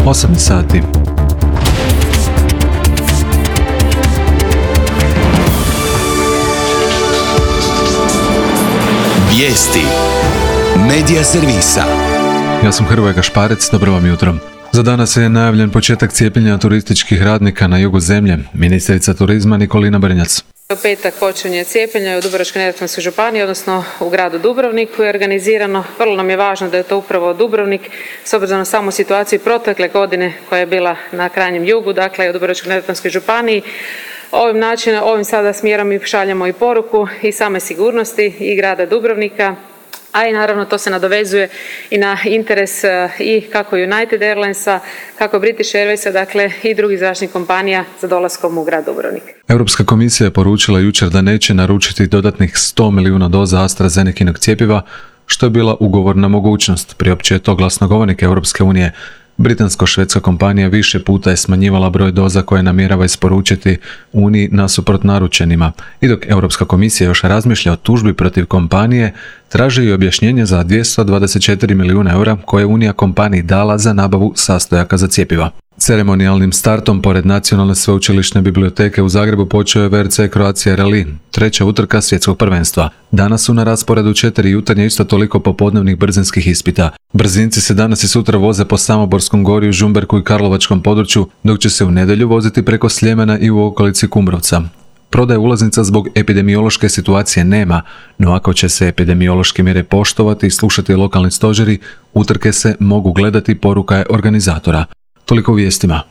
8 sati. Vijesti Medija servisa. Ja sam Hrvoje Gašparec, dobro vam jutro. Za danas je najavljen početak cijepljenja turističkih radnika na jugu zemlje. Ministrica turizma Nikolina Brnjac. U petak počinje cijepljenje u Dubrovačko-neretvanskoj županiji, odnosno u gradu Dubrovniku je organizirano. Vrlo nam je važno da je to upravo Dubrovnik, s obzirom na samu situaciju protekle godine koja je bila na krajnjem jugu, dakle u Dubrovačko-neretvanskoj županiji. Ovim sada smjerom mi šaljemo i poruku i same sigurnosti i grada Dubrovnika, a i naravno to se nadovezuje i na interes i kako United Airlinesa, kako British Airwaysa, dakle i drugih zračnih kompanija za dolaskom u grad Dubrovnik. Europska komisija je poručila jučer da neće naručiti dodatnih 100 milijuna doza AstraZenekinog cjepiva, što je bila ugovorna mogućnost, priopćio je to glasnogovornik Europske unije. Britansko-švedska kompanija više puta je smanjivala broj doza koje namjerava isporučiti Uniji nasuprot naručenima. I dok Europska komisija još razmišlja o tužbi protiv kompanije, traži i objašnjenje za 224 milijuna eura koje je Unija kompaniji dala za nabavu sastojaka za cjepiva. Ceremonijalnim startom pored Nacionalne sveučilišne biblioteke u Zagrebu počeo je VRC Croatia Rally, treća utrka svjetskog prvenstva. Danas su na rasporedu 4 jutarnje isto toliko popodnevnih brzinskih ispita. Brzinci se danas i sutra voze po Samoborskom gorju, Žumberku i Karlovačkom području, dok će se u nedjelju voziti preko Sljemena i u okolici Kumrovca. Prodaje ulaznica zbog epidemiološke situacije nema, no ako će se epidemiološke mjere poštovati i slušati lokalni stožeri, utrke se mogu gledati, poruka je organizatora. Toliko u vijestima.